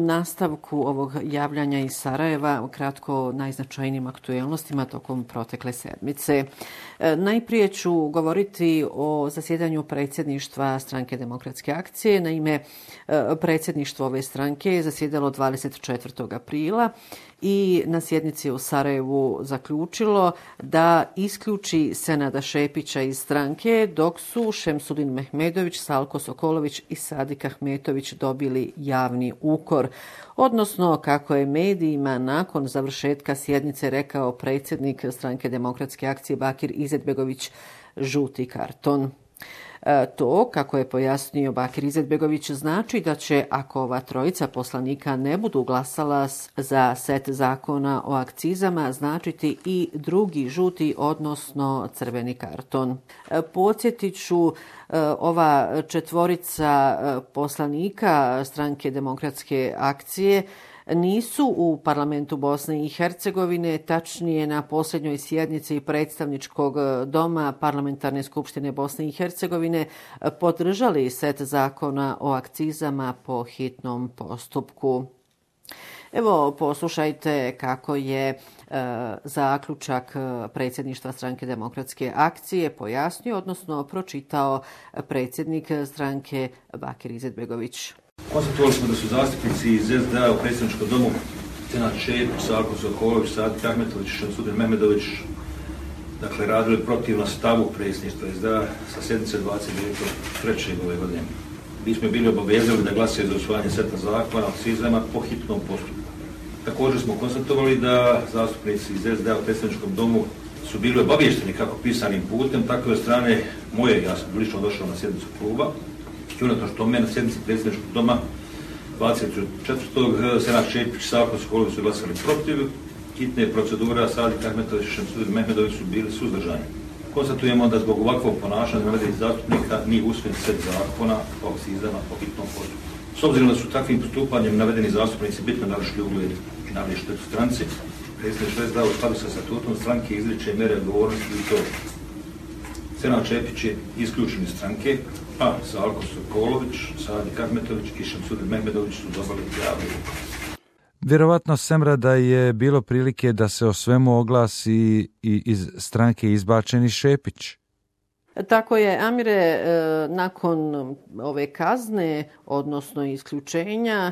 nastavku ovog javljanja iz Sarajeva, kratko najznačajnijim aktuelnostima tokom protekle sedmice. Najprije ću govoriti o zasjedanju predsjedništva Stranke demokratske akcije. Naime, predsjedništvo ove stranke je zasjedalo 24. aprila i na sjednici u Sarajevu zaključilo da isključi Senada Šepića iz stranke, dok su Šemsudin Mehmedović, Salko Sokolović i Sadik Ahmetović dobili javni ukor. Odnosno, kako je medijima nakon završetka sjednice rekao predsjednik Stranke demokratske akcije Bakir Izetbegović, žuti karton. To, kako je pojasnio Bakir Izetbegović, znači da će, ako ova trojica poslanika ne budu glasala za set zakona o akcizama, značiti i drugi žuti, odnosno crveni karton. Podsjetit ću, ova četvorica poslanika Stranke demokratske akcije nisu u parlamentu Bosne i Hercegovine, tačnije na posljednjoj sjednici predstavničkog doma Parlamentarne skupštine Bosne i Hercegovine podržali set zakona o akcizama po hitnom postupku. Evo, poslušajte kako je zaključak predsjedništva Stranke demokratske akcije pojasnio, odnosno pročitao predsjednik stranke Bakir Izetbegović. Konstatovali smo da su zastupnici iz SDA u predsjedničkom domu Senad Šepić, Salko Sokolović, Sadik Ahmetović i Šemsudin Mehmedović radili protivno stavu predsjedništva SDA sa sjednice 29.3. ove godine. Mi smo bili obavezali da glasaju za usvajanje seta zakona o akcizama po hitnom postupku. Također smo konstatovali da zastupnici iz SDA u predsjedničkom domu su bili obavješteni kako pisanim putem, tako i od strane moje, ja sam lično došao na sjednicu kluba, i unatoč tome na sjednici predsjedničkog doma 24. Senad Šepić, Salko Sokolović su glasali protiv hitne procedure, Sadik Ahmetović i Šemsudin Mehmedović su bili suzdržani. Konstatujemo da zbog ovakvog ponašanja navedenih zastupnika nije usvojen set zakona o akcizama po hitnom postupku. S obzirom da su takvim postupanjem navedeni zastupnici bitno narušili ugled i nanijeli štetu stranci, predsjedništvo SDA u skladu sa statutom stranke izriče mjere odgovornosti i to Senad Šepić je isključen iz stranke, a Salko Sokolović, Sadik Ahmetović i Šemsudin Mehmedović su dobili javni ukor. Vjerovatno, Semra, da je bilo prilike da se o svemu oglasi i iz stranke izbačeni Šepić. Tako je, Amire, nakon ove kazne, odnosno isključenja,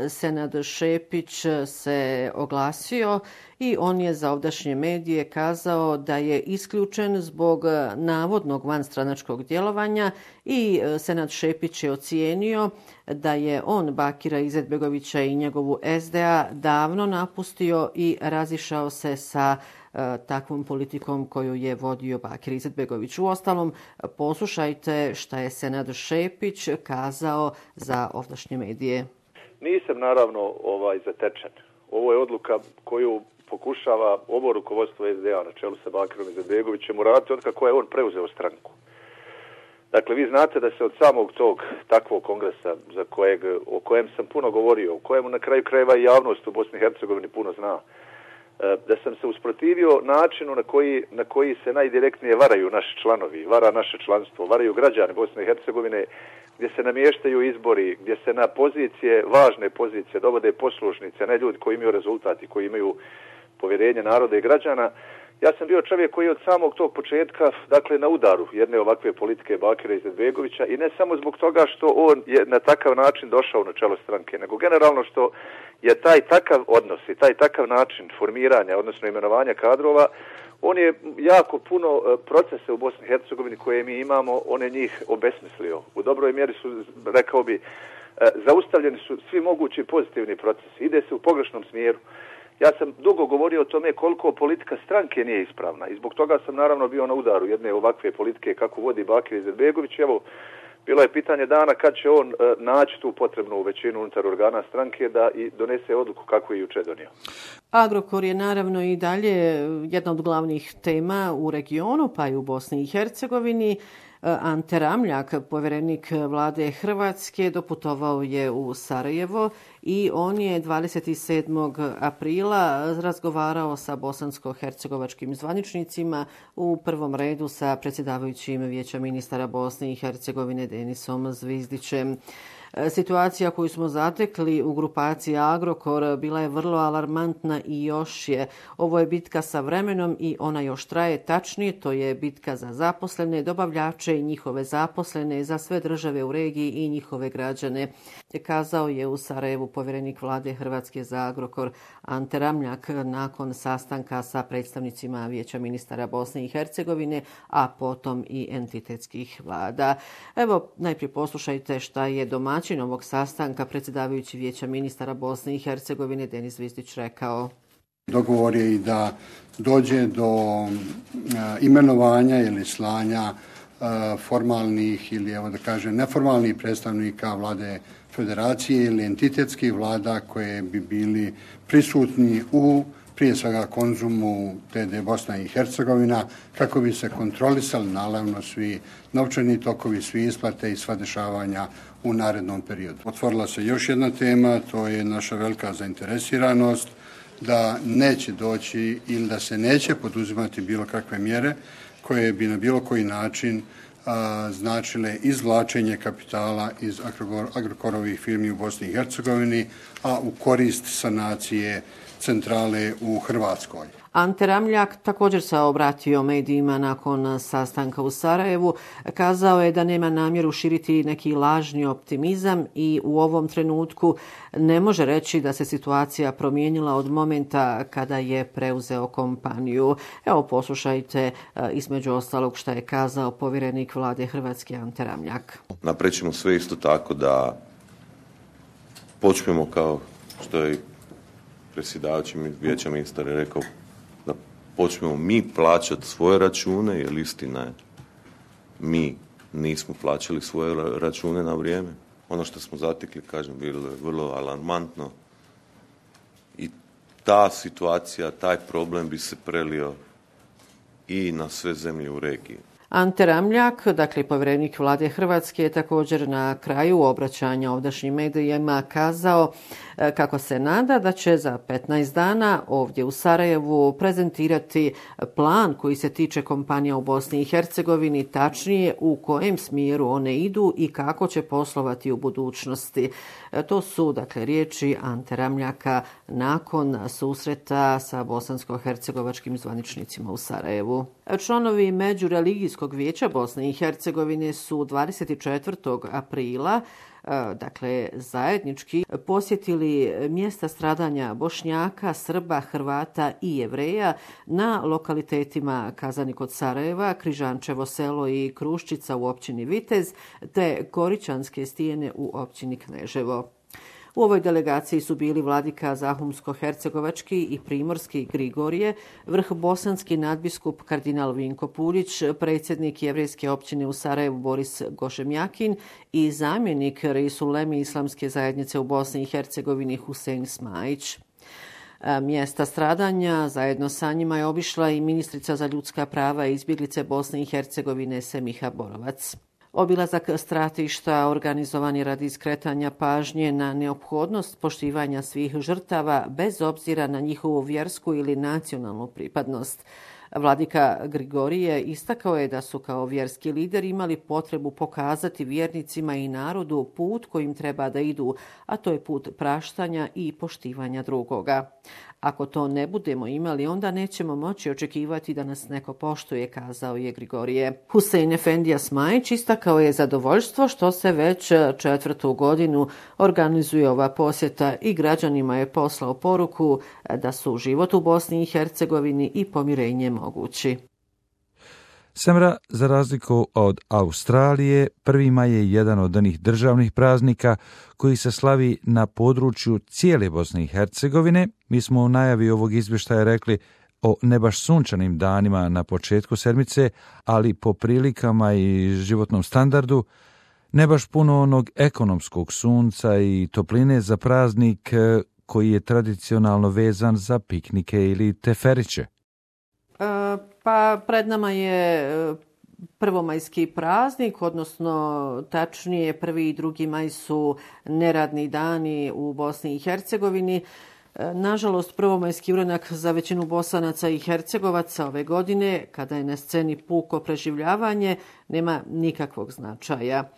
Senad Šepić se oglasio i on je za ovdašnje medije kazao da je isključen zbog navodnog vanstranačkog djelovanja i Senad Šepić je ocijenio da je on Bakira Izetbegovića i njegovu SDA davno napustio i razišao se sa takvom politikom koju je vodio Bakir Izetbegović. Uostalom, poslušajte šta je Senad Šepić kazao za ovdašnje medije. Nisam naravno zatečen. Ovo je odluka koju pokušava ovo rukovodstvo SDA na čelu sa Bakirom Izetbegovićem uraditi od kako je on preuzeo stranku. Dakle, vi znate da se od samog tog takvog kongresa o kojem sam puno govorio, o kojemu na kraju krajeva i javnost u Bosni i Hercegovini puno zna, da sam se usprotivio načinu na koji se najdirektnije varaju naši članovi, vara naše članstvo, varaju građani Bosne i Hercegovine, gdje se namještaju izbori, gdje se na pozicije, važne pozicije dovode poslušnice, ne ljudi koji imaju rezultati, koji imaju povjerenje naroda i građana. Ja sam bio čovjek koji je od samog tog početka, na udaru jedne ovakve politike Bakira Izetbegovića i ne samo zbog toga što on je na takav način došao na čelo stranke, nego generalno što je taj takav odnos i taj takav način formiranja, odnosno imenovanja kadrova, on je jako puno procese u Bosni i Hercegovini koje mi imamo, on je njih obesmislio. U dobroj mjeri su, rekao bi, zaustavljeni su svi mogući pozitivni procesi. Ide se u pogrešnom smjeru. Ja sam dugo govorio o tome koliko politika stranke nije ispravna i zbog toga sam naravno bio na udaru jedne ovakve politike kako vodi Bakir Izetbegović. Evo, bilo je pitanje dana kad će on naći tu potrebnu većinu unutar organa stranke da i donese odluku kako je jučer donio. Agrokor je naravno i dalje jedna od glavnih tema u regionu, pa i u Bosni i Hercegovini. Ante Ramljak, povjerenik vlade Hrvatske, doputovao je u Sarajevo i on je 27. aprila razgovarao sa bosansko-hercegovačkim zvaničnicima, u prvom redu sa predsjedavajućim Vijeća ministara Bosne i Hercegovine Denisom Zvizdićem. Situacija koju smo zatekli u grupaciji Agrokor bila je vrlo alarmantna i još je. Ovo je bitka sa vremenom i ona još traje, tačnije, to je bitka za zaposlene, dobavljače i njihove zaposlene, za sve države u regiji i njihove građane, kazao je u Sarajevu povjerenik vlade Hrvatske za Agrokor Ante Ramljak nakon sastanka sa predstavnicima Vijeća ministara Bosne i Hercegovine, a potom i entitetskih vlada. Evo, najprije poslušajte šta je domaćin ovog sastanka, predsjedavajući Vijeća ministara Bosne i Hercegovine Denis Zvizdić rekao. Dogovor je i da dođe do imenovanja ili slanja formalnih ili, evo da kažem, neformalnih predstavnika vlade federacije ili entitetskih vlada koje bi bili prisutni u prije svega Konzumu TD Bosna i Hercegovina, kako bi se kontrolisali naravno svi novčani tokovi, svi isplate i sva dešavanja u narednom periodu. Otvorila se još jedna tema, to je naša velika zainteresiranost da neće doći ili da se neće poduzimati bilo kakve mjere koje bi na bilo koji način značile izvlačenje kapitala iz Agrokorovih firmi u Bosni i Hercegovini, a u korist sanacije centrale u Hrvatskoj. Ante Ramljak također se obratio medijima nakon sastanka u Sarajevu. Kazao je da nema namjeru širiti neki lažni optimizam i u ovom trenutku ne može reći da se situacija promijenila od momenta kada je preuzeo kompaniju. Evo, poslušajte između ostalog šta je kazao povjerenik vlade Hrvatske Ante Ramljak. Naprećemo sve isto tako da počnemo, kao što je predsjedavajući Vijeća ministara rekao, da počnemo mi plaćati svoje račune, jer istina je, mi nismo plaćali svoje račune na vrijeme. Ono što smo zatekli, kažem, bilo je vrlo alarmantno i ta situacija, taj problem bi se prelio i na sve zemlje u regiji. Ante Ramljak, dakle povjerenik vlade Hrvatske, je također na kraju obraćanja ovdašnjim medijima kazao kako se nada da će za 15 dana ovdje u Sarajevu prezentirati plan koji se tiče kompanija u Bosni i Hercegovini, tačnije u kojem smjeru one idu i kako će poslovati u budućnosti. To su, dakle, riječi Ante Ramljaka nakon susreta sa bosansko-hercegovačkim zvaničnicima u Sarajevu. Članovi Međureligijskog vijeća Bosne i Hercegovine su 24. aprila dakle zajednički posjetili mjesta stradanja Bošnjaka, Srba, Hrvata i Jevreja na lokalitetima Kazani kod Sarajeva, Križančevo selo i Kruščica u općini Vitez te Koričanske stijene u općini Kneževo. U ovoj delegaciji su bili vladika Zahumsko-hercegovački i primorski Grigorije, vrhbosanski nadbiskup kardinal Vinko Puljić, predsjednik jevrejske općine u Sarajevu Boris Gošemjakin i zamjenik Reisuleme Islamske zajednice u Bosni i Hercegovini Husein Smajić. Mjesta stradanja zajedno sa njima je obišla i ministrica za ljudska prava i izbjeglice Bosne i Hercegovine Semiha Borovac. Obilazak stratišta organizovan je radi skretanja pažnje na neophodnost poštivanja svih žrtava bez obzira na njihovu vjersku ili nacionalnu pripadnost. Vladika Grigorije istakao je da su kao vjerski lideri imali potrebu pokazati vjernicima i narodu put kojim treba da idu, a to je put praštanja i poštivanja drugoga. Ako to ne budemo imali, onda nećemo moći očekivati da nas neko poštuje, kazao je Grigorije. Husein Efendija Smajić istakao je zadovoljstvo što se već 4. godinu organizuje ova posjeta i građanima je poslao poruku da su život u Bosni i Hercegovini i pomirenje mogući. Semra, za razliku od Australije, 1. maj je jedan od onih državnih praznika koji se slavi na području cijele Bosne i Hercegovine. Mi smo u najavi ovog izvještaja rekli o ne baš sunčanim danima na početku sedmice, ali po prilikama i životnom standardu ne baš puno onog ekonomskog sunca i topline za praznik koji je tradicionalno vezan za piknike ili teferiće. Pa pred nama je prvomajski praznik, odnosno tačnije 1. i 2. maj su neradni dani u Bosni i Hercegovini. Nažalost, prvomajski uranak za većinu Bosanaca i Hercegovaca ove godine, kada je na sceni puko preživljavanje, nema nikakvog značaja.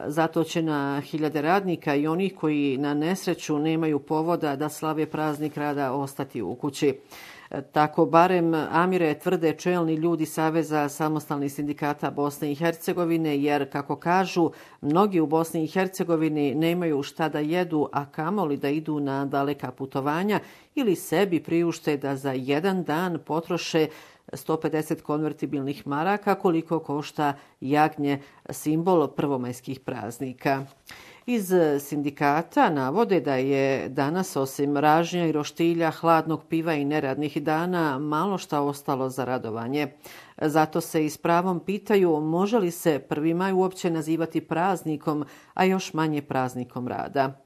Zato će na hiljade radnika i onih koji na nesreću nemaju povoda da slave praznik rada ostati u kući. Tako barem, Amire, tvrde čelni ljudi Saveza samostalnih sindikata Bosne i Hercegovine, jer, kako kažu, mnogi u Bosni i Hercegovini nemaju šta da jedu, a kamoli da idu na daleka putovanja ili sebi priušte da za jedan dan potroše 150 konvertibilnih maraka, koliko košta jagnje, simbol prvomajskih praznika. Iz sindikata navode da je danas, osim ražnja i roštilja, hladnog piva i neradnih dana, malo šta ostalo za radovanje. Zato se i s pravom pitaju može li se 1. maj uopće nazivati praznikom, a još manje praznikom rada.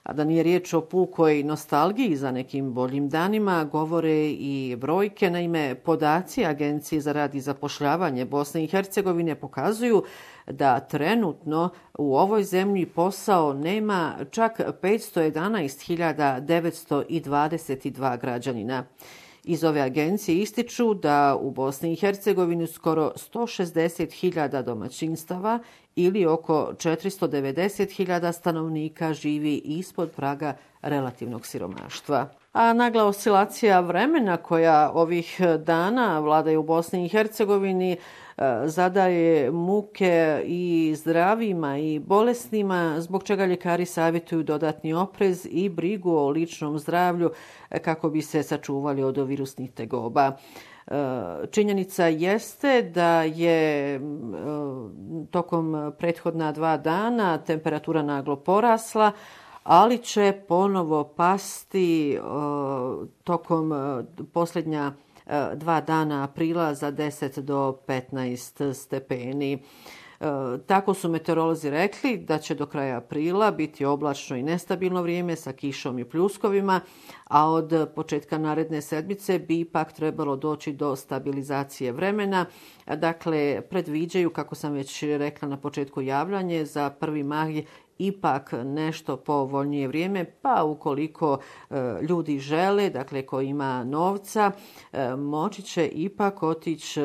A da nije riječ o pukoj nostalgiji za nekim boljim danima, govore i brojke. Naime, podaci Agencije za rad i zapošljavanje Bosne i Hercegovine pokazuju da trenutno u ovoj zemlji posao nema čak 511.922 građanina. Iz ove agencije ističu da u Bosni i Hercegovini skoro 160.000 domaćinstava ili oko 490.000 stanovnika živi ispod praga relativnog siromaštva. A nagla oscilacija vremena koja ovih dana vladaju u Bosni i Hercegovini zadaje muke i zdravima i bolesnima, zbog čega ljekari savjetuju dodatni oprez i brigu o ličnom zdravlju kako bi se sačuvali od virusnih tegoba. Činjenica jeste da je tokom prethodna 2 dana temperatura naglo porasla, ali će ponovo pasti tokom posljednja 2 dana aprila za 10 do 15 stepeni. Tako su meteorolozi rekli da će do kraja aprila biti oblačno i nestabilno vrijeme sa kišom i pljuskovima, a od početka naredne sedmice bi ipak trebalo doći do stabilizacije vremena. Dakle, predviđaju, kako sam već rekla na početku javljanje, za 1. maj ipak nešto povoljnije vrijeme, pa ukoliko ljudi žele, dakle ko ima novca, moći će ipak otići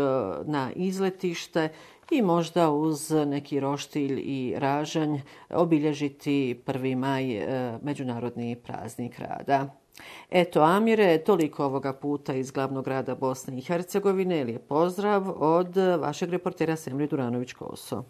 na izletište i možda uz neki roštilj i ražanj obilježiti 1. maj, međunarodni praznik rada. Eto, Amire, toliko ovoga puta iz glavnog grada Bosne i Hercegovine. Lijep pozdrav od vašeg reportera Semre Duranović-Koso.